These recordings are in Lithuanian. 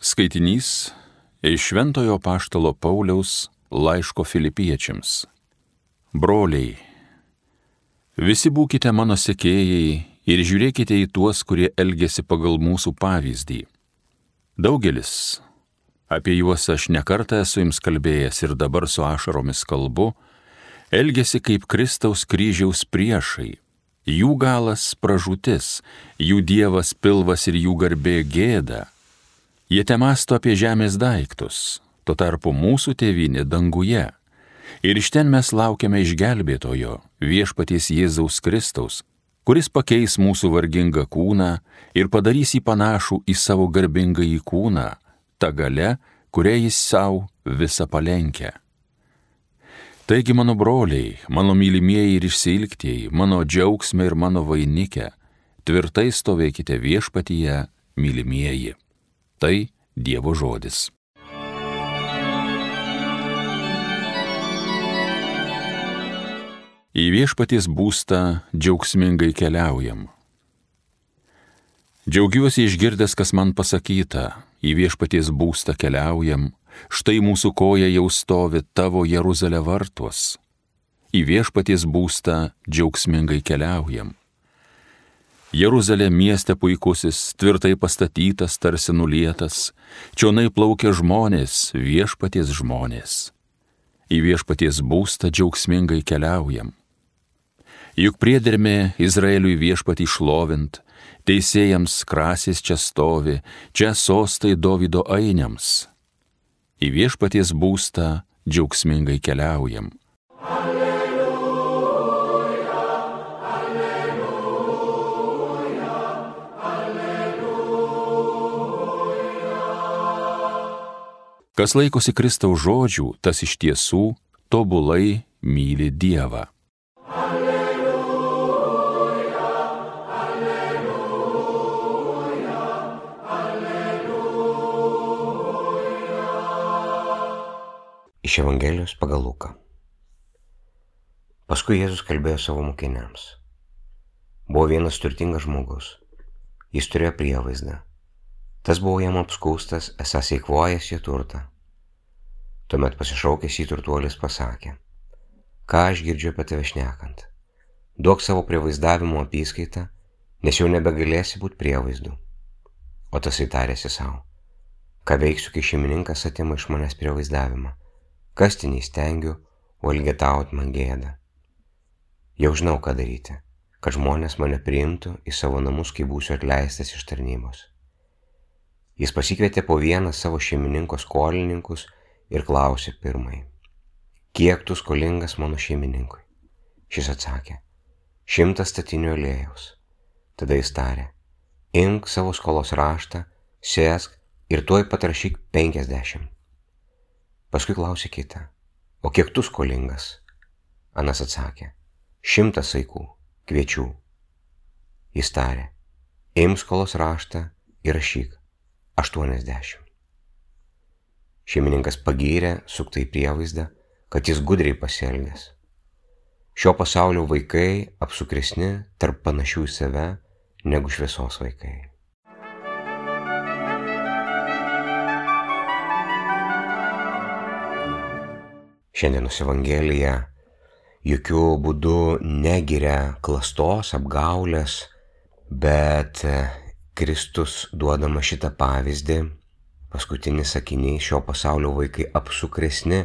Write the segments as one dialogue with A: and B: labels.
A: Skaitinys iš Šventojo Apaštalo Pauliaus laiško Filipiečiams. Broliai, visi būkite mano sekėjai ir žiūrėkite į tuos, kurie elgiasi pagal mūsų pavyzdį. Daugelis, apie juos aš nekartą esu jums kalbėjęs ir dabar su ašaromis kalbu, elgiasi kaip Kristaus kryžiaus priešai. Jų galas pražūtis, jų dievas pilvas ir jų garbė gėda. Jie temąsto apie žemės daiktus, tuo tarpu mūsų tėvynė danguje. Ir iš ten mes laukiame išgelbėtojo, viešpaties Jėzaus Kristaus, kuris pakeis mūsų vargingą kūną ir padarys jį panašų į savo garbingąjį kūną, ta galia, kurią jis savo visą palenkia. Taigi, mano broliai, mano mylimieji ir išsiilgtieji, mano džiaugsme ir mano vainike, tvirtai stovėkite viešpatyje, mylimieji. Tai Dievo žodis. Į viešpaties būstą džiaugsmingai keliaujam. Džiaugiuosi išgirdęs, kas man pasakyta, į viešpaties būstą keliaujam, štai mūsų koja jau stovi tavo Jeruzalė vartuos. Į viešpaties būstą džiaugsmingai keliaujam. Jeruzalė mieste puikusis, tvirtai pastatytas, tarsi nulietas, čionai plaukia žmonės, viešpaties žmonės. Į viešpaties būstą džiaugsmingai keliaujam. Juk priedermė Izraeliui viešpatį šlovint, teisėjams krasės čia stovi, čia sostai Dovydo ainiams. Į viešpaties būstą džiaugsmingai keliaujam. Kas laikosi Kristaus žodžių, tas iš tiesų tobulai myli Dievą.
B: Alleluja, alleluja, alleluja. Iš Evangelijos pagal Luką. Paskui Jėzus kalbėjo savo mokiniams. Buvo vienas turtingas žmogus. Jis turėjo prievaizdą. Tas buvo jam apskūstas, esąs eikvojęs jo turtą. Tuomet pasišaukęs jį turtuolis pasakė: ką aš girdžiu apie tave šnekant? Duok savo prievaizdavimo apyskaitą, nes jau nebegalėsi būti prievaizdu. O tasai tarėsi savo: ką veiksiu, kai šeimininkas atima iš manęs prievaizdavimą? Kasti neįstengiu, o elgetaut man gėda. Jau žinau, ką daryti, kad žmonės mane priimtų į savo namus, kai būsiu atleistas iš tarnybos. Jis pasikvietė po vieną savo šeimininko skolininkus ir klausė pirmąjį: kiek tu skolingas mano šeimininkui? Šis atsakė: 100 statinių aliejaus. Tada jis tarė: imk savo skolos raštą, sėsk ir tuoj pat rašyk 50. Paskui klausė kitą: o kiek tu skolingas? Anas atsakė: 100 saikų, kviečių. Jis tarė: imk skolos raštą ir rašyk 80. Šeimininkas pagyrė suktai prievaizdą, kad jis gudriai pasielgęs. Šio pasaulio vaikai apsukresni tarp panašių į save negu šviesos vaikai. Šiandienos Evangelija jokių būdų negiria klastos, apgaulės, bet Kristus duodama šitą pavyzdį, paskutinis sakinys: šio pasaulio vaikai apsukresni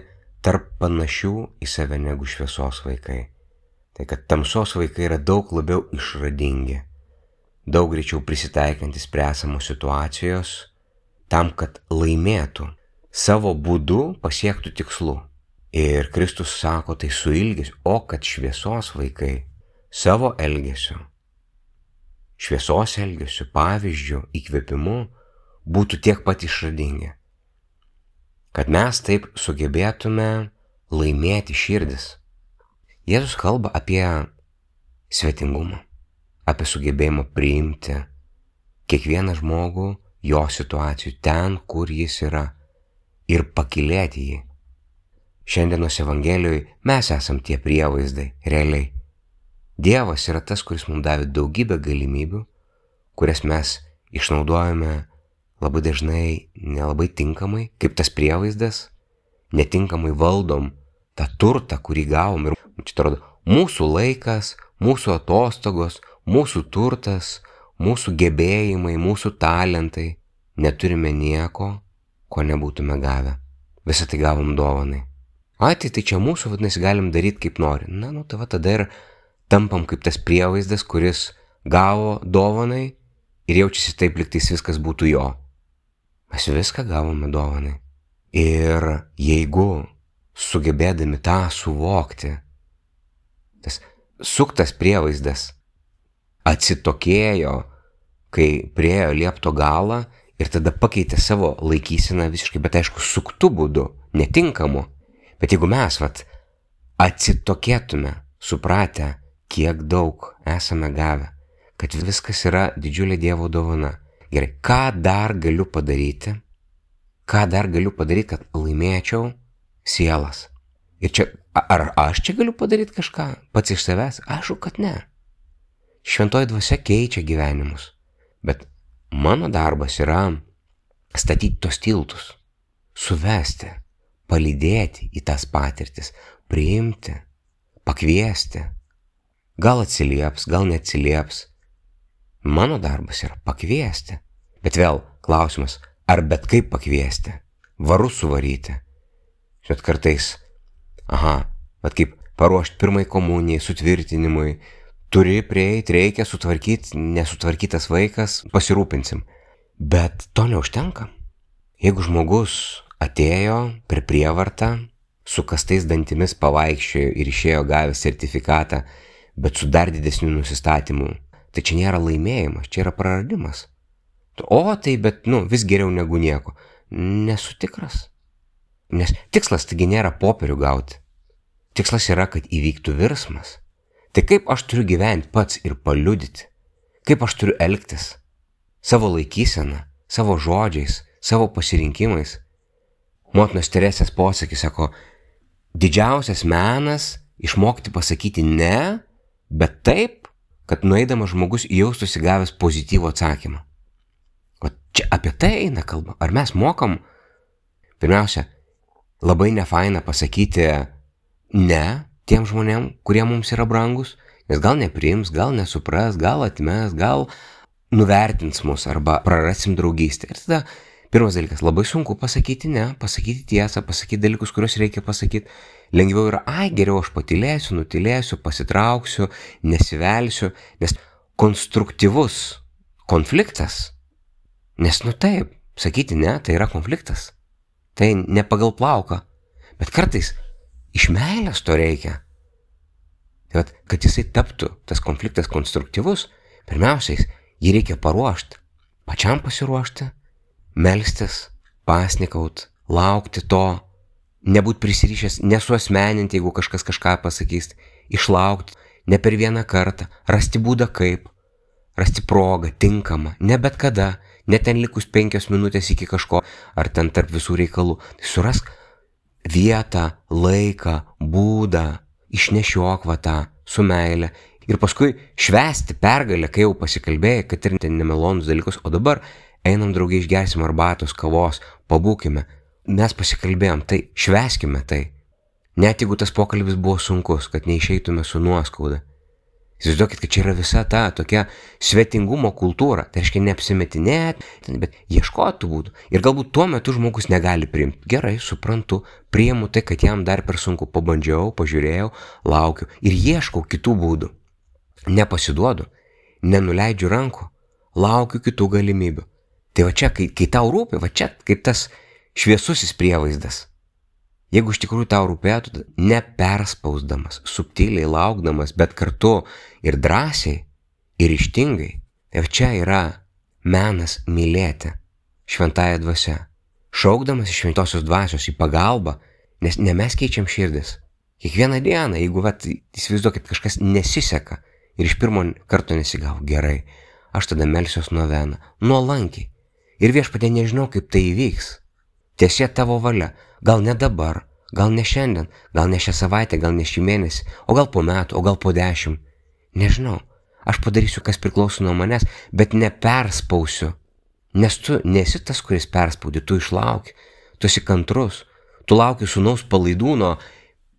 B: tarp panašių į save negu šviesos vaikai. Tai kad tamsos vaikai yra daug labiau išradingi, daug greičiau prisitaikantis prie esamos situacijos, tam, kad laimėtų, savo būdu pasiektų tikslų. Ir Kristus sako tai su ilgesiu, o kad šviesos vaikai savo elgesiu, šviesos elgesiu, pavyzdžiu, įkvėpimu būtų tiek pat išradingi, kad mes taip sugebėtume laimėti širdis. Jėzus kalba apie svetingumą, apie sugebėjimą priimti kiekvieną žmogų jo situacijų ten, kur jis yra, ir pakylėti jį. Šiandienos Evangelijoje mes esam tie prievaizdai, realiai. Dievas yra tas, kuris mums davė daugybę galimybių, kurias mes išnaudojame labai dažnai nelabai tinkamai, kaip tas prievaizdas, netinkamai valdom tą turtą, kurį gavom. Ir čia atrodo, mūsų laikas, mūsų atostogos, mūsų turtas, mūsų gebėjimai, mūsų talentai. Neturime nieko, ko nebūtume gavę. Visą tai gavom dovanai. Tai čia mūsų, vadinasi, galim daryti kaip nori. Tai tada ir tampam kaip tas prievaizdas, kuris gavo dovanai ir jaučiasi taip, lyg tais viskas būtų jo. Mes viską gavome dovanai. Ir jeigu sugebėdami tą suvokti, tas suktas prievaizdas atsitokėjo, kai priėjo liepto galą ir tada pakeitė savo laikyseną visiškai, bet aišku, suktų būdu, netinkamu. Bet jeigu mes atsitokėtume, supratę, kiek daug esame gavę, kad viskas yra didžiulė Dievo dovana. Gerai, ką dar galiu padaryti? Ką dar galiu padaryti, kad laimėčiau sielas? Ir čia, ar aš čia galiu padaryti kažką pats iš savęs? Aišku, kad ne. Šventoji dvasia keičia gyvenimus. Bet mano darbas yra statyti tos tiltus, suvesti, palydėti į tas patirtis, priimti, pakviesti. Gal atsilieps, gal neatsilieps. Mano darbas yra pakviesti. Bet vėl klausimas, ar bet kaip pakviesti? Varu suvaryti. Žinot, kartais, bet kaip paruošti pirmai komunijai, sutvirtinimui, turi prieiti, reikia sutvarkyti, nesutvarkytas vaikas, pasirūpinsim. Bet to neužtenka. Jeigu žmogus atėjo per prievartą, su kastais dantimis pavaikščiojo ir išėjo gavęs sertifikatą, bet su dar didesniu nusistatymu, tai čia nėra laimėjimas, čia yra praradimas. Bet vis geriau negu nieko. Nesu tikras. Nes tikslas taigi nėra popierių gauti. Tikslas yra, kad įvyktų virsmas. Tai kaip aš turiu gyventi pats ir paliudyti? Kaip aš turiu elgtis? Savo laikyseną, savo žodžiais, savo pasirinkimais. Motinos Teresės posakis sako, didžiausias menas išmokti pasakyti ne, bet taip, kad nueidamas žmogus jaustųsi gavęs pozityvų atsakymą. O čia apie tai eina kalba. Ar mes mokam? Pirmiausia, labai nefaina pasakyti ne tiem žmonėm, kurie mums yra brangus, nes gal nepriims, gal nesupras, gal atmes, gal nuvertins mus arba prarasim draugystę. Ir tada pirmas dalykas, labai sunku pasakyti ne, pasakyti tiesą, pasakyti dalykus, kuriuos reikia pasakyti. Lengviau yra, geriau aš patylėsiu, nutilėsiu, pasitrauksiu, nesivelsiu, nes konstruktyvus konfliktas, nes taip, sakyti ne, tai yra konfliktas, tai ne pagal plauką, bet kartais iš meilės to reikia. Tai kad jisai taptų tas konfliktas konstruktyvus, pirmiausiai jį reikia paruošti, pačiam pasiruošti, melstis, pasnikaut, laukti to, nebūt prisirišęs, nesuasmeninti, jeigu kažkas kažką pasakys, išlaukti, ne per vieną kartą, rasti būdą kaip, rasti progą, tinkamą, ne bet kada, ne ten likus 5 minutės iki kažko, ar ten tarp visų reikalų. Tai surask vietą, laiką, būdą, išnešiok tą su meile ir paskui švęsti pergalę, kai jau pasikalbėjai, kad ir ten nemalonus dalykus, o dabar einam draugai, išgersim arbatos, kavos, pabūkime. Mes pasikalbėjom, tai švęskime tai. Net jeigu tas pokalbis buvo sunkus, kad neišeitume su nuoskauda. Įsivaizduokit, kad čia yra visa ta tokia svetingumo kultūra. Tai reiškia neapsimetinėt, bet ieškoti būdų. Ir galbūt tuo metu žmogus negali priimti. Gerai, suprantu, priimu tai, kad jam dar per sunku. Pabandžiau, pažiūrėjau, laukiu ir ieškau kitų būdų. Nepasiduodu, nenuleidžiu rankų, laukiu kitų galimybių. Tai va čia, kai tau rūpi, va čia kaip tas šviesusis prievaizdas. Jeigu iš tikrųjų tau rūpėtų, neperspausdamas, subtiliai laukdamas, bet kartu ir drąsiai, ir ryžtingai, tai čia yra menas mylėti šventąją dvasią, šaukdamas iš šventosios dvasios į pagalbą, nes ne mes keičiam širdis. Kiekvieną dieną, jeigu įsivaizduokit, kažkas nesiseka ir iš pirmo karto nesigavo, gerai, aš tada melsiuos noveną, nuolankiai. Ir Viešpatie, nežinau, kaip tai įvyks. Tiesie tavo valia, gal ne dabar, gal ne šiandien, gal ne šią savaitę, gal ne šį mėnesį, o gal po metų, o gal po 10. Nežinau, aš padarysiu, kas priklauso nuo manęs, bet neperspausiu Nes tu nesi tas, kuris perspaudi, tu išlauki, tu esi kantrus, tu lauki sūnaus palaidūno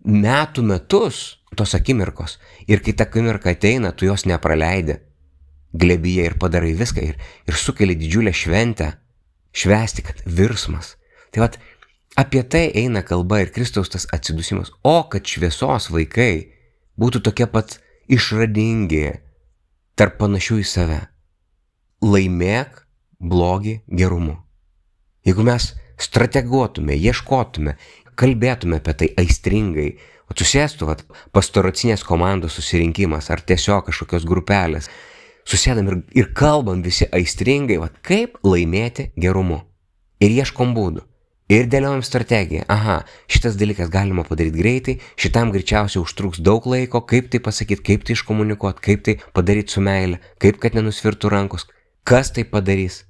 B: metų metus tos akimirkos. Ir kai ta akimirka ateina, tu jos nepraleidi. Glebyje ir padarai viską ir sukeli didžiulę šventę, švęsti, kad virsmas. Tai vat, apie tai eina kalba ir Kristaus tas atsidusimas. O kad šviesos vaikai būtų tokie pat išradingi, tarp panašių į save. Laimėk blogį gerumu. Jeigu mes strateguotume, ieškotume, kalbėtume apie tai aistringai, o susėstų pastoracinės komandos susirinkimas ar tiesiog kažkokios grupelės, susėdam ir kalbam visi aistringai, kaip laimėti gerumu. Ir ieškom būdų. Ir dėliojam strategiją. Aha, šitas dalykas galima padaryti greitai, šitam greičiausiai užtruks daug laiko, kaip tai pasakyti, kaip tai iškomunikuoti, kaip tai padaryti su meile, kaip kad nenusvirtų rankos, kas tai padarys,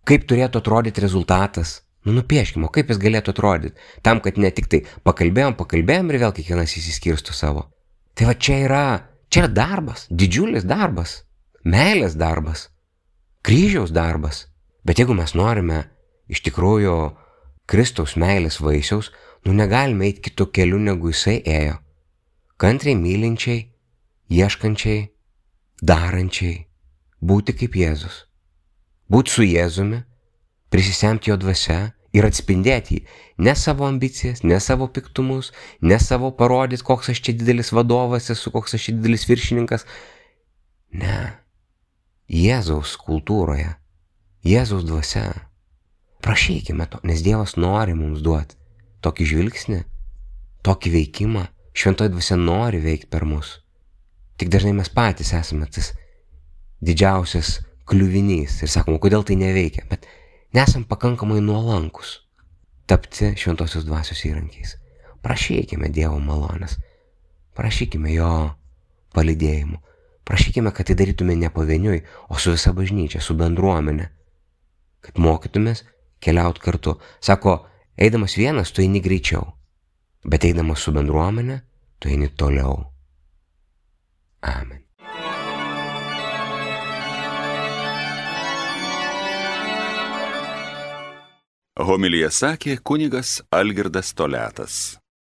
B: kaip turėtų atrodyti rezultatas. Nupieškime, kaip jis galėtų atrodyti, tam, kad ne tik tai pakalbėjom ir vėl kiekvienas įsiskirsto savo. Tai čia yra darbas, didžiulis darbas, meilės darbas, kryžiaus darbas. Bet jeigu mes norime iš tikrųjų Kristaus meilės vaisiaus, negalime eiti kitų kelių, negu jisai ėjo. Kantriai mylinčiai, ieškančiai, darančiai, būti kaip Jėzus. Būti su Jėzumi, prisisemti jo dvasia ir atspindėti jį. Ne savo ambicijas, ne savo piktumus, ne savo parodyti, koks aš čia didelis vadovas esu, koks aš čia didelis viršininkas. Ne. Jėzaus kultūroje, Jėzaus dvasia. Prašykime to, nes Dievas nori mums duoti tokį žvilgsnį, tokį veikimą. Šventoji dvasia nori veikti per mus. Tik dažnai mes patys esame tas didžiausias kliuvinys ir sakome, kodėl tai neveikia. Bet nesam pakankamai nuolankus tapti šventosios dvasios įrankiais. Prašykime Dievo malonės. Prašykime jo palydėjimų. Prašykime, kad tai darytume ne pavieniui, o su visa bažnyčia, su bendruomenė. Kad mokytumės keliauti kartu. Sako, eidamas vienas, tu eini greičiau, bet eidamas su bendruomenė, tu eini toliau. Amen.
A: Homiliją sakė kunigas Algirdas Toliatas.